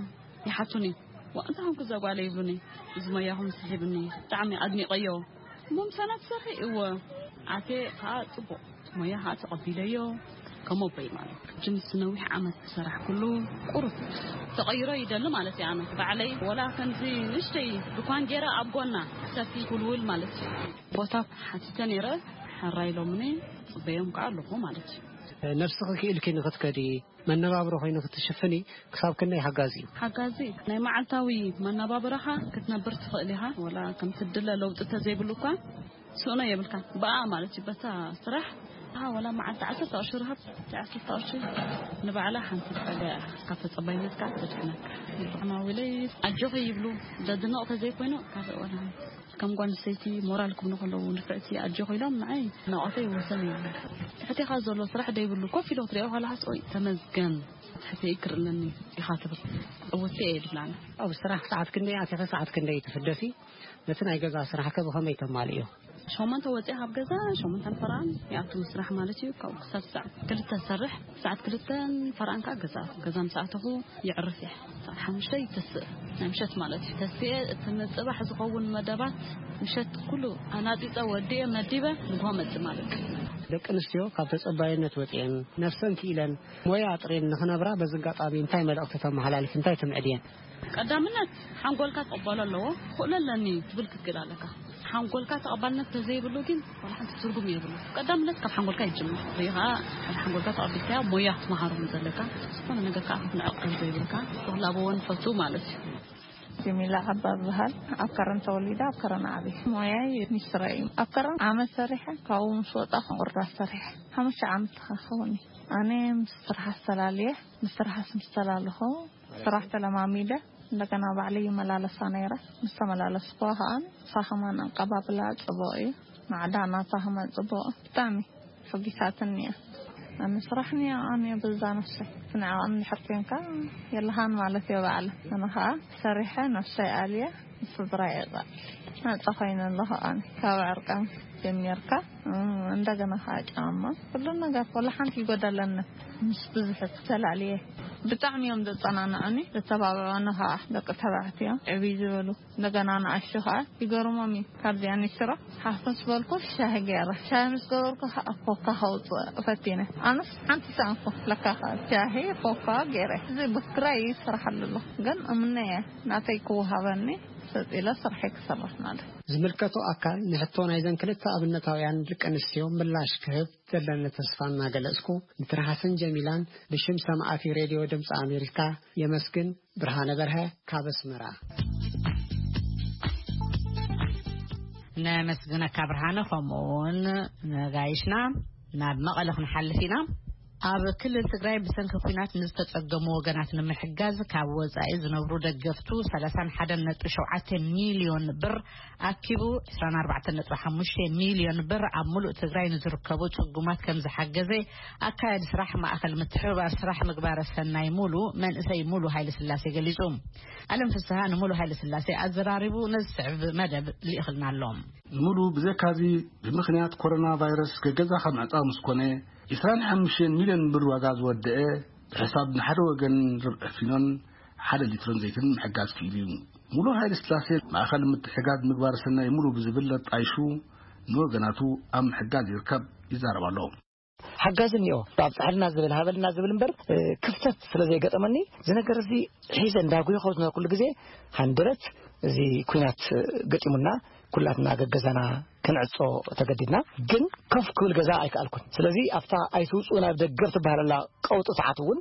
ይሓቱኒ። ዋ፣ እንታይ ኾንኩ እዛ ጓለ ይብሉኒ። እዚ ሞያኹም ስሒብኒ፣ ብጣዕሚ ኣድኒቐዮ። እሞ ምሳና ትሰርሒ? እወ። ኣቴ ከዓ ፅቡቕ ሞያ ከዓ ተቐቢለዮ። ከም ኣቦይ ማለት ጅምስ ነዊሕ ዓመት ዝሰራሕኩሉ ቁሩብ ተቐይሮ ይደሊ ማለት እዩ። ኣነ ባዕለይ ወላ ከምዚ ንእሽተይ ድኳን ገይረ ኣብ ጎና ሰፊ ውልውል ማለት እዩ። ቦታ ሓቲተ ነይረ። ሕራይ ኢሎምኒ፣ ፅበዮም ከዓ ኣለኹ ማለት እዩ። ነብስኺ ክኢልኪ ንኽትከዲ፣ መነባብሮ ኮይኑ ክትሽፍኒ ክሳብ ክንደይ ሓጋዚ እዩ? ሓጋዚ ናይ መዓልታዊ መነባብሮኻ ክትነብር ትኽእል ኢኻ። ወላ ከምቲ ድለ ለውጢ ተዘይብሉ እኳ ስእኖ የብልካ። ብኣ ማለት እዩ፣ በታ ስራሕ ወላ መዓልቲ ዓሰርተ ቅርሺ ረሃብ። ዓሰርተ ቅርሺ ንባዕላ ሓንቲ ጸጋ እያ። ካብ ተጸባይነት ከዓ ትድሕነካ። ብጣዕሚ ኣዊለይ ኣጆኺ ይብሉ። ዘድንቕ ተዘይኮይኑ ካብ ወላ ከም ጓል ኣንስተይቲ ሞራል ክብሉ ከለዉ ንፍዕቲ ኣጆኺ ኢሎም ንዓይ ናቕፈይ ወሰን የብሉ። ትሕቴኻ ዘሎ ስራሕ ደይብሉ ኮፍ ኢሎ ክትሪኦ ከለኻስ ኦይ ተመስገን። ትሕተይ ክርእለኒ ኢኻ ትብል። ዕውቲ እየ ድብላና። ኣብ ስራሕ ሰዓት ክንደይ ኣቲኸ ሰዓት ክንደይ ትፍደሲ? ነቲ ናይ ገዛ ስራሕከ ብኸመይ ተማልእዮ? ሸሞንተ ወፂኣ ካብ ገዛ ሸሞንተን ፈራን ይኣቱ ስራሕ ማለት እዩ። ካብኡ ክሳብ ሰዓት ክልተ ዝሰርሕ፣ ሰዓት ክልተን ፈራን ከዓ ገዛ ገዛ ምስ ኣተኹ ይዕርፍ እየ። ሰዓት ሓሙሽተ ይተስእ፣ ናይ ምሸት ማለት እዩ። ተስየ እቲ ንፅባሕ ዝኸውን መደባት ምሸት ኩሉ ኣናፂፀ ወዲኤ መዲበ ንግሆ መፅእ ማለት እዩ። ደቂ ኣንስትዮ ካብ ተጸባይነት ወጺኤን ነፍሰን ክኢለን ሞያ ኣጥሬን ንኽነብራ በዚ ኣጋጣሚ እንታይ መልእኽቲ ተመሓላልፍ እንታይ ትምዕድየን? ቀዳምነት ሓንጎልካ ክቕበሎ ኣለዎ። ክኽእሎ ኣለኒ ትብል ክትክእል ኣለካ። ሓንጎልካ ተቐባልነት ተዘይብሉ ግን ዋላ ሓንቲ ትርጉም የብሉ። ቀዳምነት ካብ ሓንጎልካ ይጅምር። እዚ ከዓ ሓደ ሓንጎልካ ተቐቢልካዮ ሞያ ክትመሃሮ ዘለካ፣ ዝኾነ ነገር ከዓ ክትንዕቕ ከም ዘይብልካ ክላበዎ ንፈቱ ማለት እዩ። ጀሚላ ዓባ ዝበሃል ኣብ ከረን ተወሊደ ኣብ ከረን ዓብየ። ሞያይ ሚስትረ እዩ። ኣብ ከረን ዓመት ሰሪሐ ካብኡ ምስ ወጣኹ ቁርዳስ ሰሪሐ ሓሙሽተ ዓመት ተኻኸውን እዩ። ኣነ ምስ ስራሕ ኣስተላልየ ምስ ስራሕ ምስ ተላለኹ ስራሕ ተለማሚደ እንደገና ባዕለይ ይመላለሳ ነይረ። ምስ ተመላለስኩዋ ከዓ ንሳ ከማን ኣቀባብላ ጽቡቕ እዩ። ማዕዳ ናታ ከማን ጽቡቕ ብጣዕሚ ሕጊሳትኒ እያ። ኣነ ስራሕ ንያኣን እየ በዛ ነፍሰይ ትንዕቐን እንድሕር ኮንካ የለኻን ማለት እየ ባዕለ። ኣነ ከዓ ሰሪሐ ነፍሰይ ኣልየ ንስድራ የቐል ናፃ ኮይነ ኣለኹ። ኣነ ካብ ዕርቃን ጀሚርካ እንደገና ከዓ ጫማ ኩሉ ነገር ወላ ሓንቲ ይጎደለኒ። ምስ ብዙሕ ተላልየ ብጣዕሚ እዮም ዘፀናንዑኒ። ዘተባብዑኒ ከዓ ደቂ ተባዕትዮ ዕብይ ዝበሉ እንደገና ንኣሽቱ ከዓ ይገርሞም እዩ። ካብዚኣ ንሽሮ ሓፍ ምስ በልኩ ሻሂ ገይረ ሻሂ ምስ ገበርኩ ከዓ ኮካ ከውፅእ ፈቲነ። ኣነስ ሓንቲ ሰኣንኩ ለካ ከዓ ሻሂ ኮካ ገይረ እዚ ብክራይ ይስራሓሉ ኣሎ ግን እምነየ ናተይ ክወሃበኒ ሰፂለ ስርሐይ ክሰርሕ ማለት። ዝምልከቶ ኣካል ንሕቶ ናይዘን ክልተ ኣብነታውያን ደቂ ኣንስትዮ ምላሽ ክህብ ዘለኒ ተስፋ እናገለጽኩ ንትርሃስን ጀሚላን ብሽም ሰማዕቲ ሬድዮ ድምፂ ኣሜሪካ የመስግን። ብርሃነ በርሀ ካብ ኣስመራ። ነመስግነካ ብርሃነ፣ ከምኡ እውን ነጋይሽና። ናብ መቐለ ክንሓልፍ ኢና። ኣብ ክልል ትግራይ ብሰንኪ ኲናት ንዝተጸገሙ ወገናት ንምሕጋዝ ካብ ወጻኢ ዝነብሩ ደገፍቱ ሰላሳን ሓደን ነጥቢ ሸውዓተ ሚልዮን ብር ኣኪቡ ዕስራን ኣርባዕተን ነጥቢ ሓሙሽተ ሚልዮን ብር ኣብ ሙሉእ ትግራይ ንዝርከቡ ጽጉማት ከም ዝሓገዘ ኣካያዲ ስራሕ ማእኸል ምትሕብባር ስራሕ ምግባረ ሰናይ ሙሉ መንእሰይ ሙሉ ሃይለ ስላሴ ገሊጹ። ኣለም ፍስሃ ንሙሉ ሃይለ ስላሴ ኣዘራሪቡ ነዚ ዝስዕብ መደብ ልኢኽልና ኣሎ። ንሙሉ ብዘካዚ ብምኽንያት ኮሮና ቫይረስ ገገዛኻ ምዕጻው ምስ ኮነ፣ ዕስራን ሓሙሽተን ሚልዮን ብር ዋጋ ዝወደአ ብሕሳብ ንሓደ ወገን ርብዒ ፊኖን ሓደ ሊትሮን ዘይትን ምሕጋዝ ክኢሉ እዩ። ሙሉ ሃይለ ስላሴ ማእኸል ምትሕጋዝ ምግባረ ሰናይ ሙሉ ብዝብል ኣጣይሹ ንወገናቱ ኣብ ምሕጋዝ ይርከብ ይዛረብ ኣሎ። ሓጋዚ እኒኦ ኣብፅሐልና ዝብል ሃበልና ዝብል እምበር ክፍተት ስለ ዘይገጠመኒ እዚ ነገር እዚ ሒዘ እንዳጉየ ከው ዝነበርኩሉ ግዜ ሃንደበት እዚ ኩናት ገጢሙና ኩላትና ገገዛና ክንዕጾ ተገዲድና። ግን ከፍ ክብል ገዛ ኣይከኣልኩን። ስለዚ ኣብታ ኣይትውፅኡ ናብ ደገ ትበሃለላ ቀውጢ ሰዓት እውን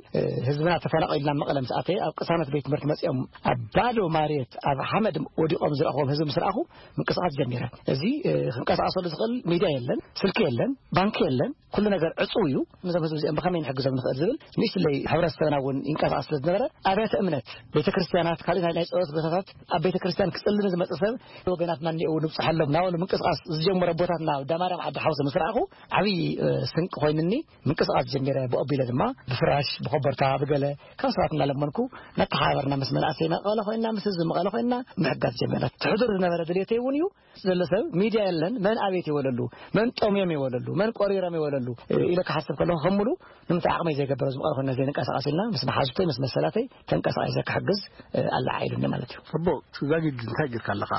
ህዝብና ተፈናቒልና መቐለ ምስ ኣተየ ኣብ ቅሳነት ቤት ትምህርቲ መፂኦም ኣብ ባዶ ማርየት ኣብ ሓመድ ወዲቖም ዝረእኹዎም ህዝቢ ምስ ረኣኹ ምንቅስቓስ ጀሚረ። እዚ ክንቀሳቐሰሉ ዝኽእል ሚድያ የለን፣ ስልኪ የለን፣ ባንኪ የለን። ኩሉ ነገር ዕጹው እዩ። ነዞም ህዝቢ እዚኦም ብኸመይ ንሕግዞም ንኽእል ዝብል ንእሽትለይ ሕብረተሰብና እውን ይንቀሳቐስ ስለ ዝነበረ ኣብያተ እምነት፣ ቤተ ክርስቲያናት፣ ካልእ ናይ ናይ ጸሎት ቦታታት ኣብ ቤተ ክርስቲያን ክጽሊ ንዝመጽእ ሰብ ወገናትና እኒአው ንብጽሓሎም ናበሉ ምንቅስቓስ ዝጀመረ ቦታትና ኣብ ዳማርያም ዓዲ ሓውሲ ምስ ረኣኹ ዓብዪ ስንቂ ኮይንኒ። ምንቅስቓስ ጀሚረ። ብኦቢለ ድማ ብፍራሽ ብኮበርታ ብገለ ካብ ሰባት እናለመንኩ እናተሓባበርና ምስ መናእሰይ መቐለ ኮይንና ምስ ህዝቢ መቐለ ኮይንና ምሕጋዝ ጀሚርና። ትሕዱር ዝነበረ ድሌተይ እውን እዩ። ዘሎ ሰብ ሚድያ የለን መን ኣቤት ይበለሉ መን ጠምዮም ይበለሉ መን ቆሪሮም ይበለሉ ኢለ ክሓስብ ከለኹ ከም ሙሉ ንምንታይ ዓቕመይ ዘይገብሮ ዝምቐረ ኮይነ ዘይንቀሳቐስ ኢልና ምስ መሓዙተይ ምስ መሰላተይ ተንቀሳቒሰ ክሕግዝ ኣለዓ ኢሉኒ ማለት እዩ። ጽቡቕ። ዛጊድ እንታይ ጌርካ ኣለኻ?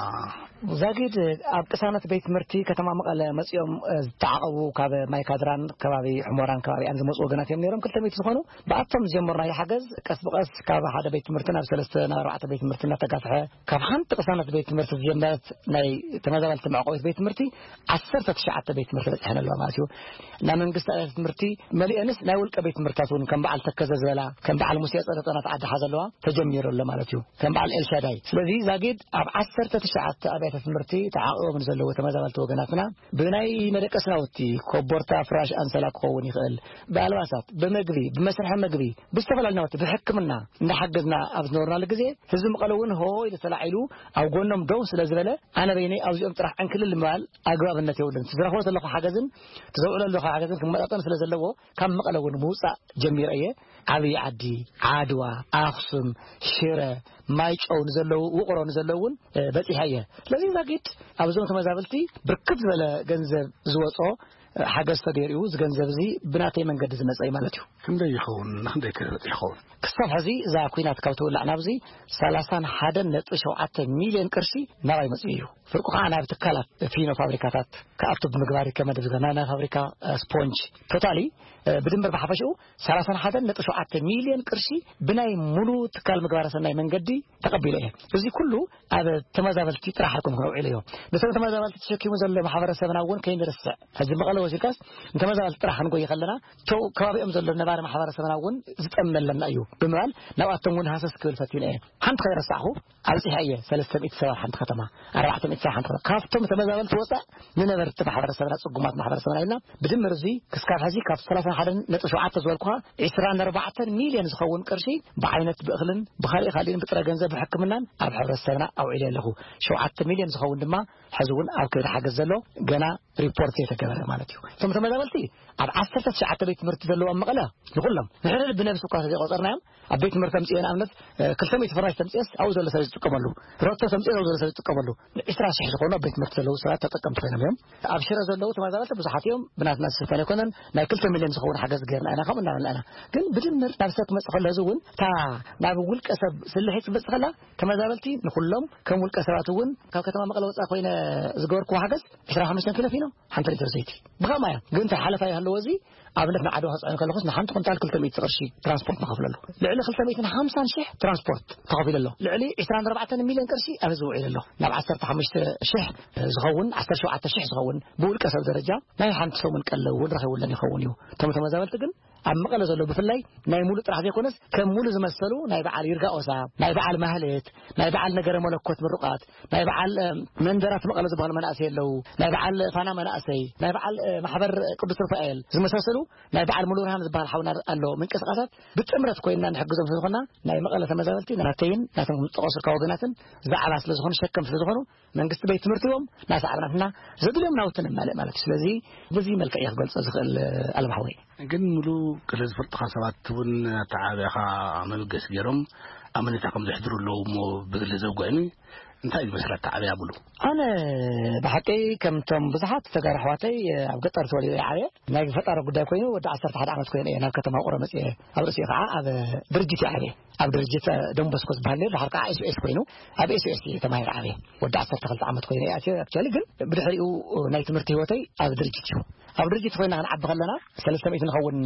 ዛጊድ ኣብ ቅሳነት ቤት ትምህርቲ ከተማ መቐለ መጺኦም ዝተዓቐቡ ካብ ማይካድራን ከባቢ ሕሞራን ከባቢኣን ዝመፁ ወገናት እዮም ነይሮም ክልተ ሚእቲ ዝኾኑ። ብኣቶም ዝጀመርናዮ ሓገዝ ቀስ ብቐስ ካብ ሓደ ቤት ትምህርቲ ናብ ሰለስተ ናብ ኣርባዕተ ቤት ትምህርቲ እናተጋፍሐ ካብ ሓንቲ ቅሳነት ቤት ትምህርቲ ዝጀመረት ናይ ተመዛበልቲ መዕቆቢት ቤት ትምህርቲ ዓሰርተ ትሽዓተ ቤት ትምህርቲ በፂሐን ኣለዋ ማለት እዩ። መንግስቲ ኣብያተ ትምህርቲ መሊአንስ፣ ናይ ውልቀ ቤት ትምህርታት እውን ከም በዓል ተከዘ ዝበላ፣ ከም በዓል ሙሴ ጸደጠና ተዓዲ ሓዘለዋ ተጀሚሩ ኣሎ ማለት እዩ። ከም በዓል ኤልሻዳይ። ስለዚ ዛጊድ ኣብ ዓሰርተ ትሽዓተ ኣብያተ ትምህርቲ ተዓቂቦም ንዘለዉ ተመዛበልቲ ወገናትና ብናይ መደቀሲ ናውቲ፣ ኮቦርታ፣ ፍራሽ፣ ኣንሰላ ክኸውን ይኽእል፣ ብኣልባሳት፣ ብመግቢ፣ ብመስርሒ መግቢ፣ ብዝተፈላለዩ ናውቲ፣ ብሕክምና እንዳሓገዝና ኣብ ዝነበርናሉ ግዜ፣ ህዝቢ መቐለ እውን ሆ ኢሉ ተላዒሉ ኣብ ጎኖም ደው ስለ ዝበለ፣ ኣነ በይነይ ኣብዚኦም ጥራሕ ዕንክልል ምባል ኣግባብነት የብሉን። ትዝረኽቦ ዘለኹ ሓገዝን ትዘውዕሎ ዘለኹ ሓገዝን ክመጣጠን ስለ ዘለዎ፣ ካብ መቐለ እውን ምውፃእ ጀሚረ እየ። ዓብዪ ዓዲ፣ ዓድዋ፣ ኣኽሱም፣ ሽረ፣ ማይጨው ንዘለዉ፣ ውቕሮ ንዘለዉ እውን፣ እ፣ በፂሐ እየ። ስለዚ ዛጊድ ኣብዞም ተመዛበልቲ ብርክት ዝበለ ገንዘብ ዝወፅኦ፣ እ፣ ሓገዝ ተገይሩ እዩ። እዚ ገንዘብ እዚ ብናተይ መንገዲ ዝመፀ እዩ ማለት እዩ። ክንደይ ይኸውን? ንክንደይ ክበፅሕ ይኸውን? ክሳብ ሕዚ እዛ ኲናት ካብ ትውላዕ ናብዚ ሰላሳን ሓደን ነጥቢ ሸውዓተ ሚልዮን ቅርሺ ናባይ መፅኡ እዩ። ፍርቁ ከዓ ናብ ትካላት ፊኖ ፋብሪካታት ክኣቱ ብምግባር ይከመድ ዝገና ናይ ፋብሪካ፣ እ፣ ስፖንጅ ቶታሊ፣ እ፣ ብድምር ብሓፈሽኡ ሰላሳን ሓደን ነጥቢ ሸውዓተ ሚልዮን ቅርሺ ብናይ ሙሉ ትካል ምግባረ ሰናይ መንገዲ ተቐቢለ እየ። እዚ ኩሉ ኣብ ተመዛበልቲ ጥራሕ ኣይኮንኩን ኣውዒለዮ። ነቶም ተመዛበልቲ ተሸኪሙ ዘሎ ማሕበረሰብና እውን ከይንርስዕ፣ ሕዚ መቐለ ወሲድካስ ንተመዛበልቲ ጥራሕ ክንጎይ ከለና፣ እቶ ከባቢኦም ዘሎ ነባሪ ማሕበረሰብና እውን ዝጠመለና እዩ ብምባል ናብኣቶም እውን ሃሰስ ክብል ፈቲነ እየ። ሓንቲ ከይረሳዕኹ ኣብጺሐ እየ ሰለስተ ሚእቲ ሰባት ሓንቲ ከተማ፣ ኣርባዕተ ሚእቲ ሰባት ሓንቲ ከተማ። ካብቶም ተመዛበልቲ ወፃእ ንነበርቲ ማሕበረሰብና፣ ጽጉማት ማሕበረሰብና ኢልና ብድምር እዚ ክስካብ ሕዚ ካብ ሰላሳን ሓደን ነጥቢ ሸውዓተ ዝበልኩኻ ዒስራን ኣርባዕተን ሚልዮን ዝኸውን ቅርሺ ብዓይነት ብእኽልን ብኻሊእ ካልእን ብጥረ ገንዘብ ብሕክምናን ኣብ ሕብረተሰብና ኣውዒለ ኣለኹ። ሸውዓተ ሚልዮን ዝኸውን ድማ ሕዚ እውን ኣብ ከይዲ ሓገዝ ዘሎ ገና ሪፖርት ዘይተገበረ ማለት እዩ። እቶም ተመዛበልቲ ኣብ ዓሰርተ ትሽዓተ ቤት ትምህርቲ ዘለዎም መቐለ ንኹሎም ንሕድሕድ ብነብሲ እኳ ዘይቆጸርናዮም ኣብ ቤት ትምህርቲ ተምፅኦ ንኣብነት፣ እ፣ ክልተ ሚእቲ ፍራሽ ተምፅኦስ ኣብኡ ዘሎ ሰብ ዝጥቀመሉ፣ ሮቶ ተምፅኦ ኣብኡ ዘሎ ሰብ ዝጥቀመሉ፣ ዒስራ ሽሕ ዝኾኑ ኣብ ቤት ትምህርቲ ዘለዉ ሰባት ተጠቀምቲ ኮይኖም እዮም። ኣብ ሽረ ዘለዉ ተመዛበልቲ ብዙሓት እዮም። ብናትና ዝስፈን ኣይኮነን። ናይ ክልተ ሚልዮን ዝኸውን ሓገዝ ገይርና ኢና፣ ከምኡ እናበልና ኢና። ግን ብድምር ናብ ሰብ ክመጽእ ከሎ፣ እዚ እውን እታ ናብ ውልቀ ሰብ ስልሒት ክትመጽእ ከላ፣ ተመዛበልቲ ንኹሎም ከም ውልቀ ሰባት እውን ካብ ከተማ መቐለ ወጻኢ ኮይነ ዝገበርክዎ ሓገዝ ዕስራን ሓሙሽተን ኪሎ ፊኖ፣ ሓንቲ ሊትር ዘይቲ። ብኸማይ እዮም። ግን እንታይ ሓለፋ ይሃለዎ፣ እዚ ኣብነት ንዓድዋ ክጽዕን ከለኹስ ንሓንቲ ኩንታል ክልተ ሚእቲ ቅርሺ ትራንስፖርት ንኸፍለሉ። ልዕሊ ክልተ ሚእትን ሓምሳን ሽሕ ትራንስፖርት ተኸፊሉ ኣሎ። ልዕሊ ዕስራን ኣርባዕተን ሚልዮን ቅርሺ ኣብ ህዝቢ ውዒሉ ኣሎ። ናብ ዓሰርተ ሓሙሽተ ሽሕ ዝኸውን፣ ዓሰርተ ሸውዓተ ሽሕ ዝኸውን ብውልቀ ሰብ ደረጃ ናይ ሓንቲ ሰሙን ቀለብ እውን ረኺቡለን ይኸውን እዩ። እቶም ተመዛበልቲ ግን ኣብ መቐለ ዘሎ ብፍላይ ናይ ሙሉ ጥራሕ ዘይኮነስ ከም ሙሉ ዝመሰሉ ናይ በዓል ይርጋ ኦሳ፣ ናይ በዓል ማህሌት፣ ናይ በዓል ነገረ መለኮት ምሩቓት፣ ናይ በዓል፣ እ፣ መንደራት መቐለ ዝበሃሉ መናእሰይ ኣለዉ። ናይ በዓል ፋና መናእሰይ፣ ናይ በዓል፣ እ፣ ማሕበር ቅዱስ ሩፋኤል ዝመሳሰሉ፣ ናይ በዓል ሙሉ ብርሃን ዝበሃል ሓውና ኣሎ። ምንቅስቃሳት ብጥምረት ኮይንና ንሕግዞም ስለ ዝኾንና፣ ናይ መቐለ ተመዛበልቲ ናተይን ናቶም ዝጠቐሱልካ ወገናትን ዛዕባ ስለ ዝኾኑ፣ ሸከም ስለ ዝኾኑ፣ መንግስቲ ቤት ትምህርቲ እዮም ናሰዓብናትና ዘድልዮም ናውቲ ነማልእ ማለት እዩ። ስለዚ በዚ መልክዕ እየ ክገልጾ ዝኽእል፣ ኣለምሓወይ። ግን ሙሉ ገለ ዝፈልጥኻ ሰባት እውን ኣተዓባብያኻ መበገሲ ገይሮም ኣመኔታ ከም ዘሕድሩ ኣለዉ እሞ ብግሊ ዘውግዕኒ እንታይ እዩ ዝመስል ኣተዓባብያ ሙሉ? ኣነ ብሓቂ ከምቶም ብዙሓት ተጋሩ ኣሕዋተይ ኣብ ገጠር ተወሊደ እየ ዓብየ። ናይ ፈጣሪ ጉዳይ ኮይኑ ወዲ ዓሰርተ ሓደ ዓመት ኮይኑ እየ ናብ ከተማ ውቕሮ መፅየ። ኣብ ርእሲኡ ከዓ ኣብ ድርጅት እየ ዓብየ። ኣብ ድርጅት ዶንቦስኮ ዝበሃል ነይሩ፣ ድሓር ከዓ ኤስኦኤስ ኮይኑ ኣብ ኤስኦኤስ እየ ተማሂረ ዓብየ። ወዲ ዓሰርተ ክልተ ዓመት ኮይኑ እየ ኣትየ። ኣክቹዋሊ ግን ብድሕሪኡ ናይ ትምህርቲ ህይወተይ ኣብ ድርጅት እዩ። ኣብ ድርጅት ኮይና ክንዓቢ ከለና ሰለስተ ሚእቲ ንኸውን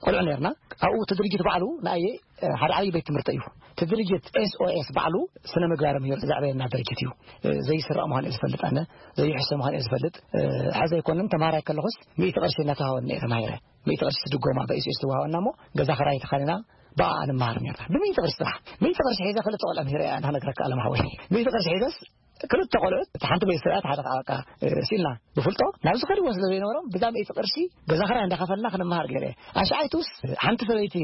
ቆልዑ ነርና። ኣብኡ እቲ ድርጅት ባዕሉ ንኣየ ሓደ ዓብዪ ቤት ትምህርቲ እዩ። እቲ ድርጅት ኤስኦኤስ ባዕሉ ስነ ምግባር ምሂሩ ዘዕበየና ድርጅት እዩ። ዘይስረቕ ምዃኑ እየ ዝፈልጥ፣ ኣነ ዘይሕሰ ምዃኑ እየ ዝፈልጥ። ሕዚ ኣይኮነን፣ ተምሃራይ ከለኹስ ሚእቲ ቅርሺ እናተዋሃበኒ እየ ተማሂረ። ሚእቲ ቅርሺ ድጎማ ብኤስኦኤስ ትወሃበና እሞ ገዛ ክራይ ተኻኒና ብኣ ንምሃር ነርና። ብሚእቲ ቅርሺ ጥራሕ። ሚእቲ ቅርሺ ሒዘ ክልተ ቆልዑ ምሂረ እየ፣ ኣነ ክነግረካ ኣለምሓወይ። ሚእቲ ቅርሺ ሒዘስ ክልተ ቆልዑ፣ እቲ ሓንቲ ቤት ሰብኣይ፣ እቲ ሓደ ከዓ በቃ፣ እ፣ ሲልና ብፍልጦ ናብ ዝኸድዎ ስለ ዘይነበሮም፣ ብዛ ሚእቲ ቅርሺ ገዛ ክራይ እንዳኸፈልና ክንመሃር ገይረ። ኣሽዓይቱስ ሓንቲ ሰበይቲ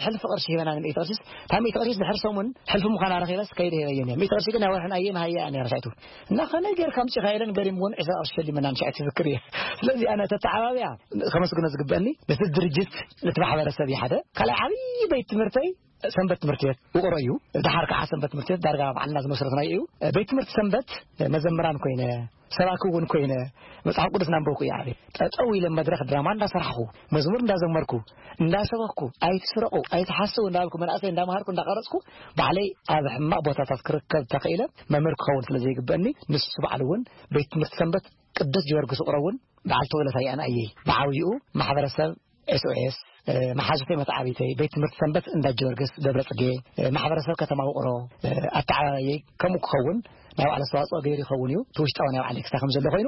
ሕልፊ ቅርሺ ሂበና፣ ንሚእቲ ቅርሺስ፣ እታ ሚእቲ ቅርሺስ ድሕሪ ሰሙን ሕልፊ ምዃና ረኺበስ ከይደ ሂበየን እየ። ሚእቲ ቅርሺ ግን ናይ ወርሕን ኣየ መሃያ እያ ነይራ ኣሽዓይቱ። እና ከመይ ጌርካ ኣምጺኻ ኢለን ገሪምወን ዕስራ ቅርሺ ሸሊመና ንሽዓይቱ ዝክር እየ። ስለዚ ኣነ ተተዓባብያ ከመስግኖ ዝግበአኒ ነቲ ድርጅት፣ ነቲ ማሕበረሰብ እዩ ሓደ። ካልኣይ ዓብዪ ቤት ትምህርተይ ሰንበት ትምህርቲ ቤት ውቕሮ እዩ። ደሓር ከዓ ሰንበት ትምህርቲ ቤት ዳርጋ ባዕልና ዝመስረትናዮ እዩ። ቤት ትምህርቲ ሰንበት መዘምራን ኮይነ፣ ሰባኪ እውን ኮይነ፣ መጽሓፍ ቅዱስ እናንበብኩ እየ ዓብየ። ጠጠው ኢለ መድረኽ ድራማ እንዳሰራሕኩ፣ መዝሙር እንዳዘመርኩ፣ እንዳሰበኽኩ፣ ኣይትስረቑ፣ ኣይትሓስዉ እንዳበልኩ፣ መናእሰይ እንዳምሃርኩ፣ እንዳቐረጽኩ፣ ባዕለይ ኣብ ሕማቕ ቦታታት ክርከብ ተኽኢለ መምህር ክኸውን ስለ ዘይግበአኒ፣ ንሱ ባዕሉ እውን ቤት ትምህርቲ ሰንበት ቅዱስ ጊዮርጊስ ውቕሮ እውን በዓል ተውለታ ይኣን ኣየይ ብዓብይኡ ማሕበረሰብ ኤስኦኤስ መሓዙተይ መተዓቢተይ፣ ቤት ትምህርቲ ሰንበት እንዳ ጊዮርጊስ ደብረ ጽጌ፣ ማሕበረሰብ ከተማ ውቕሮ ኣተዓባባየይ ከምኡ ክኸውን ናይ ባዕሉ ኣስተዋፅኦ ገይሩ ይኸውን እዩ። እቲ ውሽጣዊ ናይ ባዕሉ ክስታ ከም ዘሎ ኮይኑ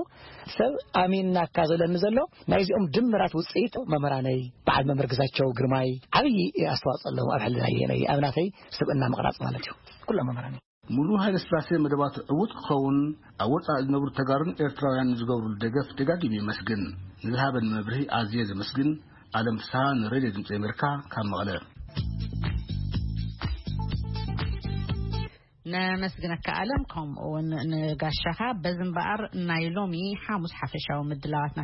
ሰብ ኣሚንናካ ዘለኒ ዘሎ ናይዚኦም ድምራት ውፅኢት መምህራነይ በዓል መምህር ግዛቸው ግርማይ ዓብዪ ኣስተዋፅኦ ኣለዎም ኣብ ሕልናየ ናይ ኣብናተይ ስብእና ምቕራፅ ማለት እዩ። ኩሎም መምህራን ሙሉ ሃይለ ስላሴ መደባቱ ዕዉት ክኸውን ኣብ ወፃኢ ዝነብሩ ተጋሩን ኤርትራውያን ዝገብሩሉ ደገፍ ደጋጊሙ የመስግን። ንዝሃበኒ መብርሂ ኣዝየ ዘመስግን። ኣለም ፍስሃ ንሬድዮ ድምፂ ኣሜሪካ ካብ መቐለ። ነመስግነካ ኣለም፣ ከምኡ እውን ንጋሻኻ። በዚ እምበኣር ናይ ሎሚ ሓሙስ ሓፈሻዊ ምድላዋትና